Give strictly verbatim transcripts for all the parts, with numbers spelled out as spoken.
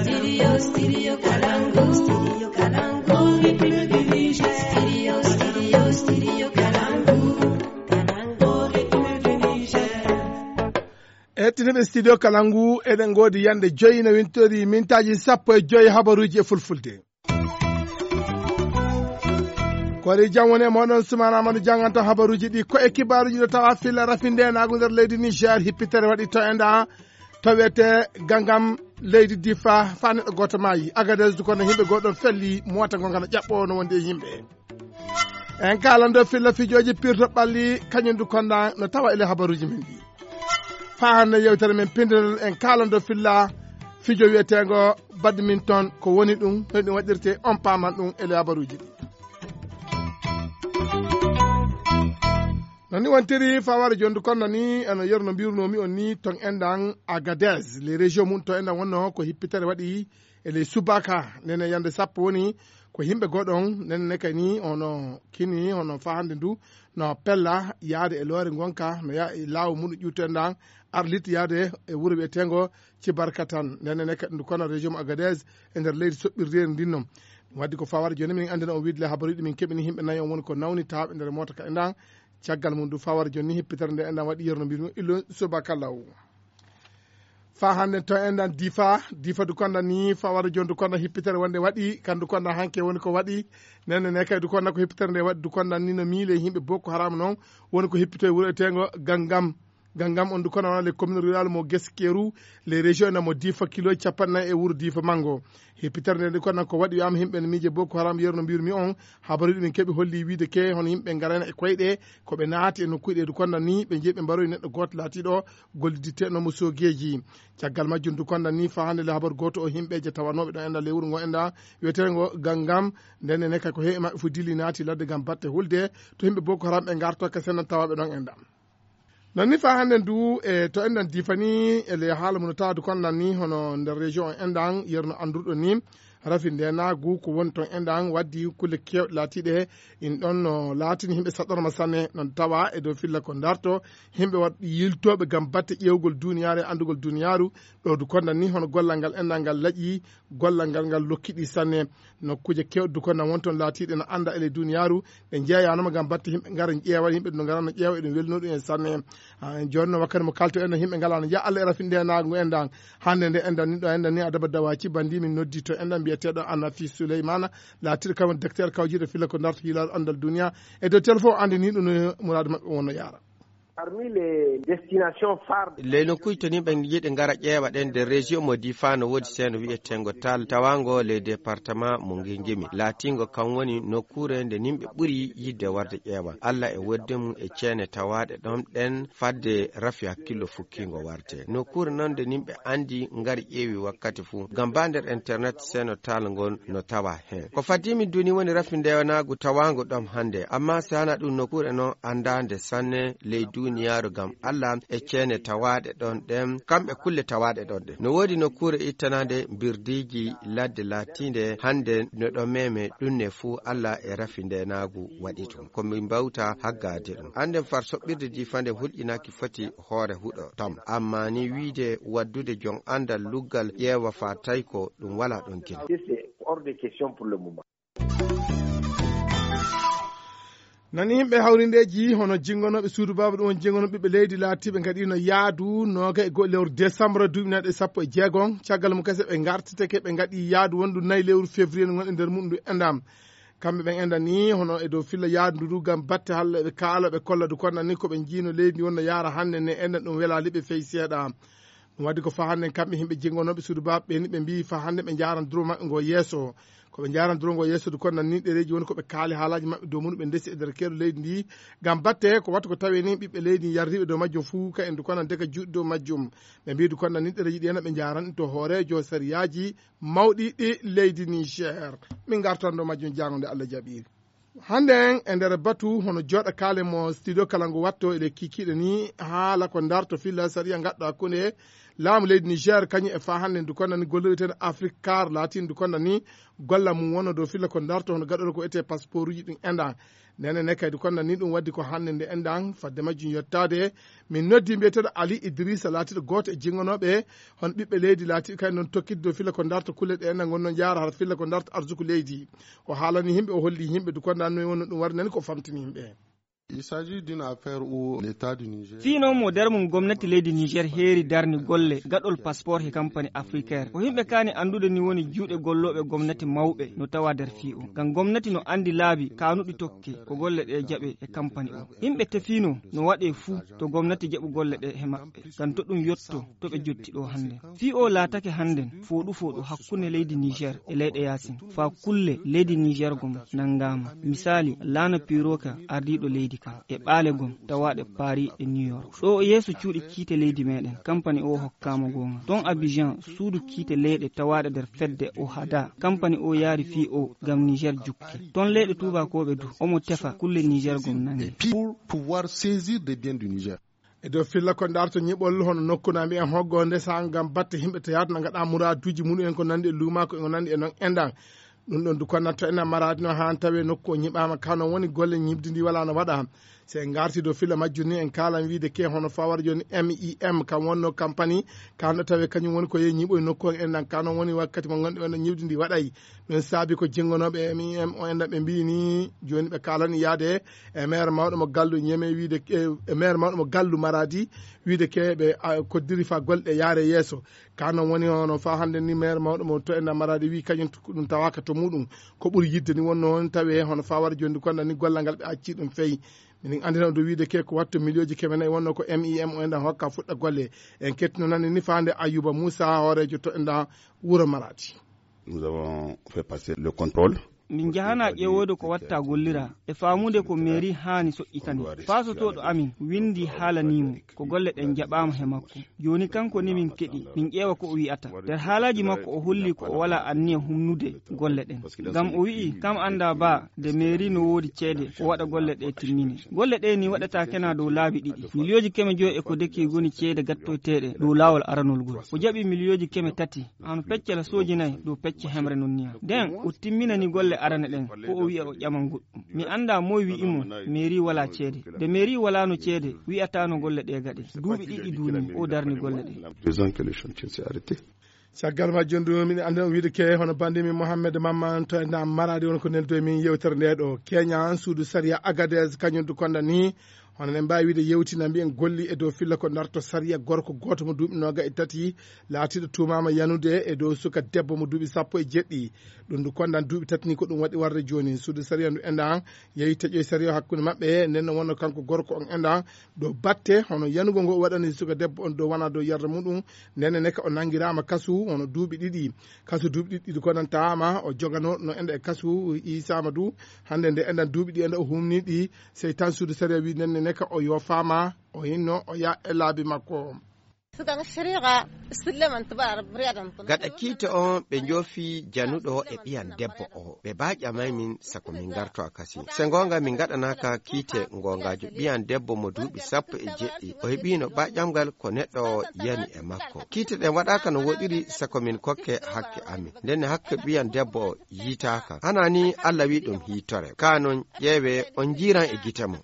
Studio, studio Kalangu, studio Kalangu, au rythme du Niger. Studio, studio, studio Kalangu, Kalangu, au rythme du Niger. Hettiniiɓe studio Kalangu, eɗen ngoodi yande joyi no wintori mintaaji sappo e joyi habaruuji e fulfulde. Ko ari jam woni e mooɗon, Sumaana Amadu jannganta habaruuji ɗi. Ko e kibaaruuji ɗo tawa filla rafindeenaagu nder leydi Niger, hippitere waɗi to enda to wiyetee Gangam, leydi Difa, faa neɗɗo gooto maayi. Agadez du kono yimɓe goo ɗon felli, moota ngo ngana ƴaɓɓoo no wondi e yimɓe. En kaalan dow filla fijooji pirto ɓalli, kañum du konda no tawa ele habaruuji men ɗi. Faa hannde yewtere men pinndinol en kaalan dow filla fijo wiyeteengo badminton, ko woni ɗum, no ɗum waɗirtee, on paaman ɗum ele habaruuji ɗi. No ni wontiri faware jondu kono ni eno yerno mbirunoomi on ni ton endan Agadez, les régions mum to endan wonno ko hippitere waɗi e ley subaka, nene yande sappo woni ko yimɓe goɗon, nene ne kay ni ono kini, ono fahande ndu no pella yaade e loore ngonka, no ya e laawo mum ƴuuto endan Arlit yaade e wuro wiyetengo Cibarkatan, nene ne kay ndu kono région mo Agadez e nder leydi soɓɓirdeeri ndin non. Ɗum waddi ko faware joni min anndina on wiide le habaruuji ɗi min keɓini, yimɓe nayo on woni ko nawni tawɓe nder moota ka endan. Caggal mum du faware joni ni hippitere nde endan waɗi yerno mbirmi illo subaka law. Fa hannde to enɗan Difa, Difa du konɗan ni, fa wara jooni du konɗan hippitere wonde waɗi, kan du konɗan hanke woni ko waɗi, nenne ne kay du konɗan ko hippitere nde waɗi, du konɗan ni no miile yimɓe Boko Haram noon, woni ko hippito e wuro eteengo Gangam. Gangam on du konɗan wona les communes rurales mo Geskeru, les régions na mo Difa kilo capanɗe nayi e wuro Difa Mango. Hippitere nde du konɗan ko waɗi wiyaama yimɓe no miije Boko Haram yeru no mbirmi on, habaruuji ɗi min keɓi holli wiide ke hono yimɓe ngarayna e koyɗe, ko ɓe naati e nokkuuji ɗe du konɗan ni, ɓe njeyi ɓe mbaroyi neɗɗo gooto laatiiɗo golliditteɗo mo soogeeji. Caggal majjum du konɗan ni fa hannde le habar gooto o yimɓeeje tawanooɓe ɗon enɗan ley wuro ngo enɗan wiyeteengo Gangam, nden ne kay ko heewi maɓɓe fof dilli naati ladde ngam batte hulde to yimɓe Boko Haram ɓe ngarto ka senan tawaaɓe ɗon enɗan. Non ni fa hannde du e to enɗan Difa ni e le haala mum no tawa du konɗan ni hono nder région o enɗan yerno anndurɗo ni rafi ndenaagu ko woni toon enɗan waddi kulle keewɗe laatiiɗe in ɗon no laatini yimɓe saɗɗorma sanne. Noon tawa e dow filla ko darto yimɓe waɗ yiltooɓe ngam batte ƴeewgol duniyaaru e anndugol duniyaaru. Ɗo du konɗan ni hono gollal ngal enɗan ngal laƴi, gollal ngal ngal lokkiɗi sanne. Nokkuuje keewɗe du konɗan won toon laatiiɗe no annda e ley duniyaaru, ɗe njeeyaanoma ngam batte yimɓe ngara ƴeewa, yimɓe no ngara no ƴeewa, eɗum welnoo ɗum en sanne. Ah, jooni no wakkati mo kalto enɗan yimɓe ngalaa no njeya Allah e rafi ndenaagu enɗan. Hannde nde enɗan ni ɗo enɗan ni adaba dawaci bandi min noddi to enɗan mbiyeteeɗo Anafi Souleymana, laatiiɗo kam docteur kawjiiɗo filla ko darto hiilaaɗo anndal duniya. E dow téléphone anndi ni ɗum no muraadu maɓɓe wonno yaara. Parmi les destinations phares. Ley nokkuuji to ni ɓe yiɗi ngara ƴeewa ɗen nder région mo Difa no woodi seeno wiyeteengo Tal, tawaango ley département mo Ngingimi. Laatiingo kan woni nokkuure nde yimɓe ɓuri yiɗde warde ƴeewa. Allah e wodde mum e ceene tawaaɗe ɗon ɗen fadde rafi hakkillo fukkiingo warde. Nokkuure non nde yimɓe anndi ngari ƴeewi wakkati fuu. Ngam ba nder internet seeno Tal ngol no tawa heen. Ko faddi min duni woni rafi ndewanaagu tawaango ɗon hannde. Amma si hana ɗum nokkuure non anndaande sanne ley duniyaaru ngam Allah e ceene tawaaɗe ɗon ɗen, kamɓe kulle tawaaɗe ɗon ɗen. No woodi nokkuure ittanaande mbirdiiji ladde laatiinde hannde no ɗo meme ɗum ne fuu Allah e rafi ndenaagu waɗi ɗum. Ko min mbawta haggaade ɗum. Annden far soɓɓirde Difa nde hulƴinaaki foti hoore huɗo tam. Amma ni wiide waddude jon anndal luggal ƴeewa fa tawi ko ɗum walaa ɗon gila. C'est hors de question pour le moment. Nani yimɓe hawrindeeji hono jinngonooɓe suudu baaba ɗum on jinngonooɓe ɓiɓɓe leydi laatiiɓe ngaɗiino yaadu nooga e go'o lewru décembre duuɓi nayi ɗe sappo e jeegom. Caggal mum kese ɓe ngartitake ɓe ngaɗi yaadu wondu nayi lewru février no ngonɗen nder muɗum ndu enɗam. Kamɓe ɓen enɗan ni hono e dow filla yaadu ndu du ngam batte halla ɓe kaala ɓe kolla du konɗan ni ko ɓe njiino leydi ndi wonno yaara hannde ne enɗan ɗum welaali ɓe fey seeɗa. Ɗum waddi ko fa hannde kamɓe yimɓe jinngonooɓe suudu baaba ɓe ni ɓe mbiyi fa hannde ɓe njaaran duro maɓɓe ngo yeeso. Ko ɓe njaaran duro ngo yeeso du konɗan ni ɗereeji woni ko ɓe kaali haalaaji maɓɓe dow mum ɓe ndesi e nder keeru leydi ndi. Ngam batte ko wattu ko tawi ni ɓiɓɓe leydi yarriiɓe dow majjum fuu ka en du konɗan deka juuɗe dow majjum. Ɓe mbiyi du konɗan ni ɗereeji ɗi ena ɓe njaaran to hooreejo sariyaaji mawɗi ɗi leydi Niger. Min ngartan dow majjum jaango nde Allah jaɓi. Hannde en e nder batu hono jooɗa kaale mo studio kala ngu watto eɗe kikiiɗe ni haala ko darto filla sariya ngaɗɗo hakkunde Laamu leydi Niger kañum e faa hannde ndu konnda ni gollireten Afrique car laatiino ndu konnda ni golla mum wonno dow filla ko darto hono gaɗoto ko etee passeport uji ɗum enɗan. Ndene ne kadi konnda ni ɗum waddi ko hannde nde enɗan fadde majjum yottaade. Min noddi mbiyeteeɗo Ali Idrissa laatiiɗo gooto e jinngonooɓe hono ɓiɓɓe leydi laatiiɗo kadi noon tokkitde dow filla ko darto kulle ɗe enɗan ngonno jaara hara filla ko darto arsuku leydi. O haalani yimɓe, o holli yimɓe ndu konnda no wonno ɗum waɗi nani ko famtini yimɓe. Il s'agit d'une affaire où l'État du Niger. Fii noon mo nder mum gomnati leydi Niger heeri darni golle gaɗol passeport he kampani Africaire. Ko yimɓe kaani anndude ni woni juuɗe gollooɓe gomnati mawɓe no tawa nder fii o. Ngam gomnati no anndi laabi kaanuɗi tokke ko golle ɗe jaɓe e kampani o. Yimɓe tefiino no waɗe fuu to gomnati jaɓu golle ɗe he maɓɓe. Ngam to ɗum yotto to ɓe jotti ɗo hannde. Fii o laatake hannden fooɗu fooɗu hakkunde leydi Niger e leyɗe yaasin. Faa kulle leydi Niger gom nanngaama. Misaali, laana Piroka ardiiɗo leydi kan e ɓaale gom tawaaɗe Paris e New York. Ɗo yeeso cuuɗi kiite leydi meɗen, kampani o hokkaama goonga. Ton Abidjan, suudu kiite leyɗe tawaaɗe nder fedde o hada. Kampani o yaari fii o ngam Niger jukke. Ton leyɗe tuubakooɓe du, omo tefa kulle Niger gom nannge. Pour pouvoir saisir des biens du Niger. E dow filla ko darto ñiɓol hono nokku na mbiyen hoggo ndesa ngam batte yimɓe to yaata na ngaɗa muraaduuji muɗum en ko nanndi e luumaako e ko nanndi e noon enɗan. Ɗum ɗon du konnatto enɗan maraadi no haan tawi nokku o ñiɓaama kano woni golle ñiɓdi ndi wala no waɗa. So en ngarti dow filla majjum ni en kaalan wiide ke hono fawara jooni M I M kam wonno kampani kanɗo tawi kañum woni ko yehi ñiɓoy nokku o enɗan kano woni wakkati mo ngonɗi wonno ñiɓdi ndi waɗay. Ɗum saabi ko jinngonooɓe M I M o enɗan ɓe mbiyi ni jooni ɓe kaalani yaade e maire mawɗo mo gallu ñeme wiide e maire mawɗo mo gallu maraadi wiide ke ɓe koddiri fa golle ɗe yaare yeeso. Ka noon woni hono fa hannde ni maire mawɗo mo to enɗan maraadi wi kañum ɗum tawaka to muɗum ko ɓuri yidde ni wonno on tawi hono fa wara jooni konɗan ni gollal ngal ɓe acci ɗum feyi. Minin anndina ɗum wiide ke ko wattu miliyooji keme nayi wonno ko M I M o enɗan hokka fuɗɗa golle. En kettino nani ni faande Ayuba Moussa hooreejo to enɗan wuro maraadi. Nous avons fait passer le contrôle. Min njahana ƴeewoyde ko watta gollira e faamude ko mairie haani soƴƴitani. Paasotooɗo amin winndi haalanimo ko golle ɗen jaɓaama he makko. Jooni kanko ni min keɗi min ƴeewa ko o wi'ata. Nder haalaaji makko o holli ko o wala anniya humnude golle ɗen. Ngam o wi'i kam annda ba nde mairie no woodi ceede o waɗa golle ɗe timmine. Golle ɗe ni waɗata kena dow laabi ɗiɗi. Miliyooji keme joyi e ko deki goni ceede gattoyteeɗe dow laawol aranol ngol. O jaɓi miliyooji keme tati. Hano pecce la soojinay dow pecce hemre non niya. Nden o timminani golle arane ɗen ko o wi'a o ƴaman goɗɗum. Mi annda moy wi'imo mairie wala ceede. Nde mairie walano ceede wi'atano golle ɗe gaɗe. Duuɓi ɗiɗi duuni o darni golle ɗe. Deux ans que le chantier s'est arrêté. Caggal majjum du miɗen anndi on wiide ke hono banndimi Mohammed Mamman to e ndam maraadi won ko neldo e min yewtere nde ɗo. Keña suudu sariya Agadez kañum du konda ni hono en mbaawi wiide yewtina mbiyen golli e dow filla ko darto sariya gorko gooto mo duuɓi nooga e tati laatiiɗo tuumaama yanude e dow suka debbo mo duuɓi sappo e jeɗɗi. Ɗum du kondan duuɓi tati ni ko ɗum waɗi warde jooni suudu sariya ndu endan yehi taƴoy sariya hakkunde maɓɓe nden no wonno kanko gorko on endan dow batte hono yanugol ngol o waɗani suka debbo on dow wona dow yarda muɗum. Ndenne neka o nanngiraama kasu hono duuɓi ɗiɗi. Kasu duuɓi ɗiɗi ɗiɗi ko nan tawaama o jogano no enda e kasu. Iisaama du hannde nde endan duuɓi ɗi enda o humni ɗi sey tan suudu sariya wi ndenne neka o yoofaama o hinno o ya e laabi makko. Gaɗa kiite on ɓe njoofi januɗo e ɓiyan debbo o ɓe ba ƴamay min sako min ngarto a kasi. Se ngoonga min ngaɗanaaka kiite ngoongaajo ɓiyan debbo mo duuɓi sappo e jeɗɗi o heɓiino ba ƴamgal ko neɗɗo o yani e makko. Kiite ɗen waɗaaka no woɗiri sako min kokke hakke amin. Ndenne hakke ɓiyan debbo o yiitaaka. Hana ni Allah wi ɗum hiitore. Ka non ƴeewe on njiiran e gite mo.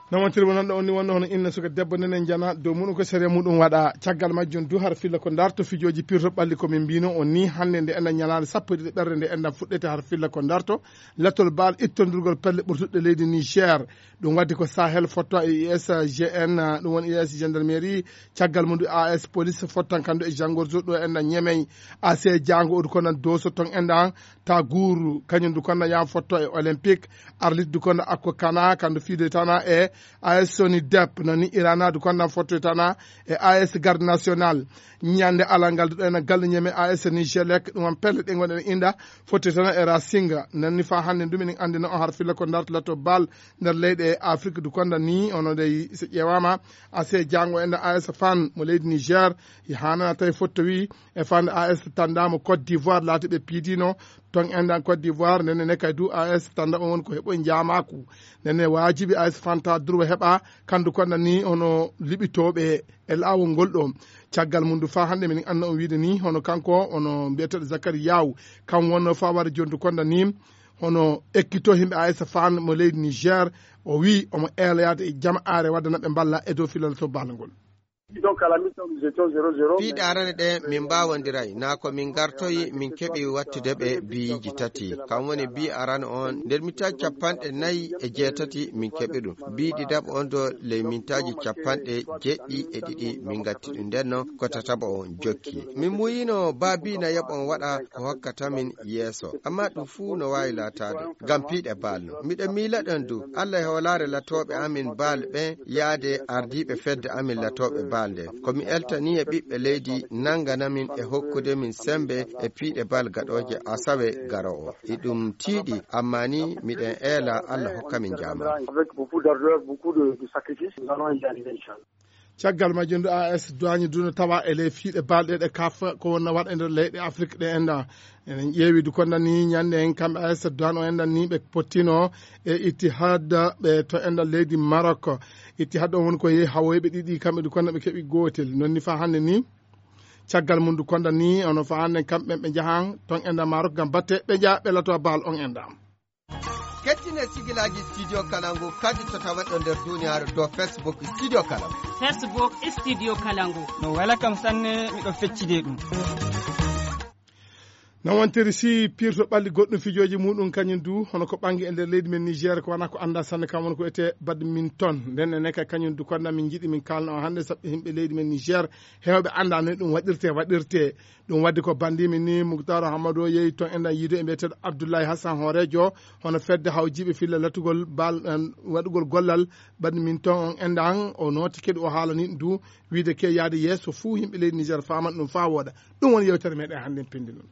Namantirmo nan ɗo onni wonno hono inna suka debbo nden en jana dow muɗum ko sariya muɗum waɗa caggal majjum du har filla ko darto fijooji pirto ɓalli ko min mbino on ni hannde nde enɗan ñalaande sappo e ɗiɗi ɓerde nde enɗan fuɗɗete har filla ko darto. Lattol baal ittondurgol pelle ɓurtuɗe leydi Niger. Ɗum waddi ko Sahel fotto e U S G N ɗum woni U S gendarmerie. Caggal mum du A S police fottan kandu e jangorzo ɗo enɗan ñemey. A C jango odu konan doso ton enɗan ta guuru kañum du konno yam fotto e olympique. Arlit du konno akko kana kandu fiidoytana e A S soni dep noni irana du konno fottoytana e A S garde national. Ñande alal ngal du ɗo ena galle ñeme A S nigelec ɗum on pelle ɗe gonɗen inda fottoytana e rasinga nanni fa hannde du minen anndina on har filla ko dartalato bal nder leyɗe Afrique du konda ni ono dey so ƴeewama A C jango enda A S fan mo leydi Niger. Hanana tawi fotto wi e fande A S tandamo Côte d'Ivoire laati ɓe piidino. Ton enɗan Côte d'Ivoire, nden ne kadi du A S Tanda on woni ko heɓoy njaamaaku. Nden ne waajibi A S Fanta Durwa heɓa kandu konda ni hono liɓitooɓe e laawol ngol ɗo. Caggal mum du faa hannde minen anna on wiide ni hono kanko, hono mbiyeteeɗo Zakari Yaw, kam wonno faa wara jontu konda ni hono ekkito himɓe A S Fan mo leydi Niger. O wi omo eela yaade e jamaare wadda naɓe mballa e dow filal to ballagol. Piiɗe arane ɗe min mbaawondiray, naa ko min ngartoyi min keɓi wattude ɓe biyiiji tati. Kam woni bii arano on, nder mintaaji capanɗe nayi e jeetati min keɓi ɗum. Bii ɗiɗaɓo on do ley mintaaji capanɗe jeeɗiɗi e ɗiɗi min ngatti ɗum. Nden non ko tataɓo on jokki. Min muuyino baa bii na yoɓon waɗa ko hokkata min yeeso. Amma ɗum fuu no waawi laataade ngam piiɗe baal no. Miɗo miila ɗon du, Allah e hoolaare latooɓe amin baal ɓen yaade ardiiɓe fedde amin latooɓe baal nden. Ko mi eltanii e ɓiɓɓe leydi nanngana min e hokkude min semmbe e piiɗe baal gaɗooje asawe garoowo. Iɗum tiiɗi, amma ni miɗen eela Allah hokka min njaama. Caggal majjum du A S Duwaañi du no tawa e ley piiɗe baal ɗe ɗe kaf ko wonna waɗa e nder leyɗe Afrik ɗe enda. Enen ƴeewi du konda ni ñande en kamɓe A S Duwaañi o enda ni ɓe pottino e Ittihad ɓe to enda leydi Marok. Ittihad on woni ko yehi hawoyɓe ɗiɗi kamɓe du konda ɓe keɓi gootel. Non ni faa hannde ni caggal mum du konda ni ono faa hannde kamɓe ɓe njahan ton enda Marok ngam batte ɓe njaha ɓe lato baal on enda. Kettine sigilaaji Studio Kalangu kadi to tawaɗo nder duniyaaru dow Facebook Studio Kalangu. Facebook Studio Kalangu. No wela kam sanne miɗo feccide ɗum. No wontiri si pirto ɓalli goɗɗum fijooji muɗum kañum du hono ko ɓangi e nder leydi men Niger ko wana ko annda sanne kam woni ko ete badminton nden ene kay kañum du konda min jiɗi min kalna o hannde saɓɓe yimɓe leydi men Niger hewɓe annda no ɗum waɗirte waɗirte. Ɗum waddi ko bandiimi ni Muktaaru Hammadu o yehi toon enɗan yiido e mbiyeteeɗo Abdullahi Hassan hooreejo hono fedde hawjiiɓe filla latugol bal waɗugol gollal badminton on enɗan o nooti keɗu o haalani du wiide ke yaade yeeso fuu yimɓe leydi Niger faaman ɗum faa wooɗa. Ɗum woni yewtere meɗen hannde en pindi ɗum.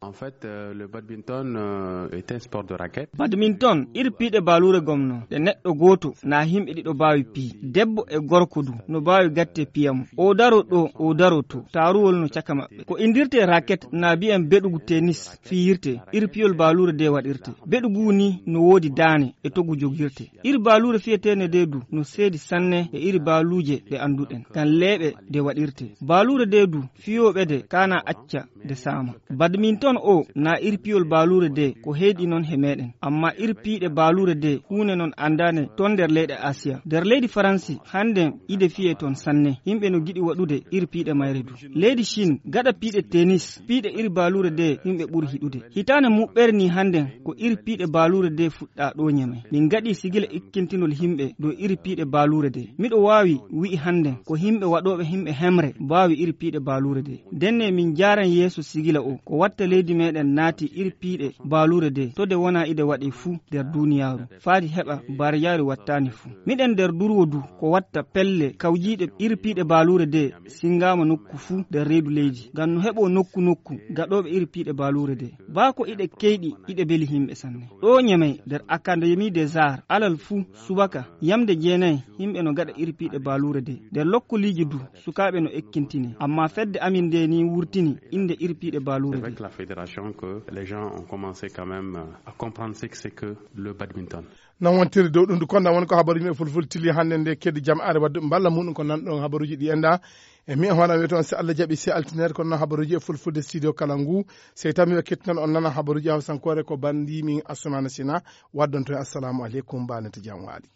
En fait, euh, le badminton euh, est un sport de raquette. Badminton iri piiɗe baaluure gomno ɗe neɗɗo gooto na himɓe ɗiɗo baawi pii debbo e gorko du no baawi gatte piyamo o daro ɗo o daro to taaruwol no caka maɓɓe ko indirte raket na biyen beɗugu tennis fiyirte iri piyol baaluure de waɗirte beɗugu ni no woodi daane e togu jogirte iri baaluure fiyetene de du no seedi sanne e iri baaluuje ɗe annduɗen ngam leeɓe de waɗirte baaluure de du fiyooɓe de kana acca de saama badminton o na iri piyol baaluure de ko heyɗi noon he meɗen amma iri piiɗe baaluure de huunde noon anndane toon nder leyɗe asiya nder leydi faransi hannden ide fiye toon sanne yimɓe no giɗi waɗude iri piiɗe mayre du leydi chine gaɗa piiɗe tennis piiɗe iri baaluure de yimɓe ɓuri hiɗude hitaande muɓɓere ni hannden ko iri piiɗe baaluure de fuɗɗa ɗo ñeme min gaɗi sigila ikkintinol yimɓe dow iri piiɗe baaluure de miɗo waawi wi'i hannden ko yimɓe waɗooɓe yimɓe hemre mbaawi iri piiɗe baaluure de ndenne min njaaran yeeso sigila o ko watta leydi meɗen naati iri piiɗe baaluure de to de wona ide waɗe fuu nder duniyaaru faadi heɓa barjaari wattaani fuu miɗen nder durwo du ko watta pelle kawjiiɗe iri piiɗe baaluure de singaama nokku fuu nder reedu leydi ngam no heɓo nokku nokku gaɗooɓe iri piiɗe baaluure de baa ko iɗe keyɗi iɗe beli yimɓe sanne ɗo ñemey nder akademi des arts alal fuu subaka yamde jeenayi yimɓe no gaɗa iri piiɗe baaluure de nder lokkoliiji du sukaaɓe no ekkintinee amma fedde amin nde ni wurtini innde iri piiɗe baaluure de Avec la fédération que les gens ont commencé quand même euh, à comprendre ce que c'est que le badminton. Non wontiri dow ɗum du konda woni ko habaruji men fulfulde tili hannde nde keddi jam are wadde mballa muɗum ko nanɗon habaruji ɗi enda e mi hono wiya toon si allah jaɓi si altinere kono noon habaruji e fulfulde studio kala ngu sey tawi miwa kettinan on nana habaruji hawsankore ko bandimin assoumana sina waddon toon assalamu aleykum mbanete jam waali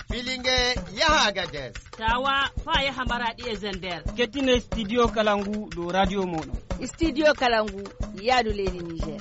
filinge yaha agades tawa fa yaha maraɗi e zender kettine studio kala ngu dow radio moɗon studio kala ngu yaadu leydi niger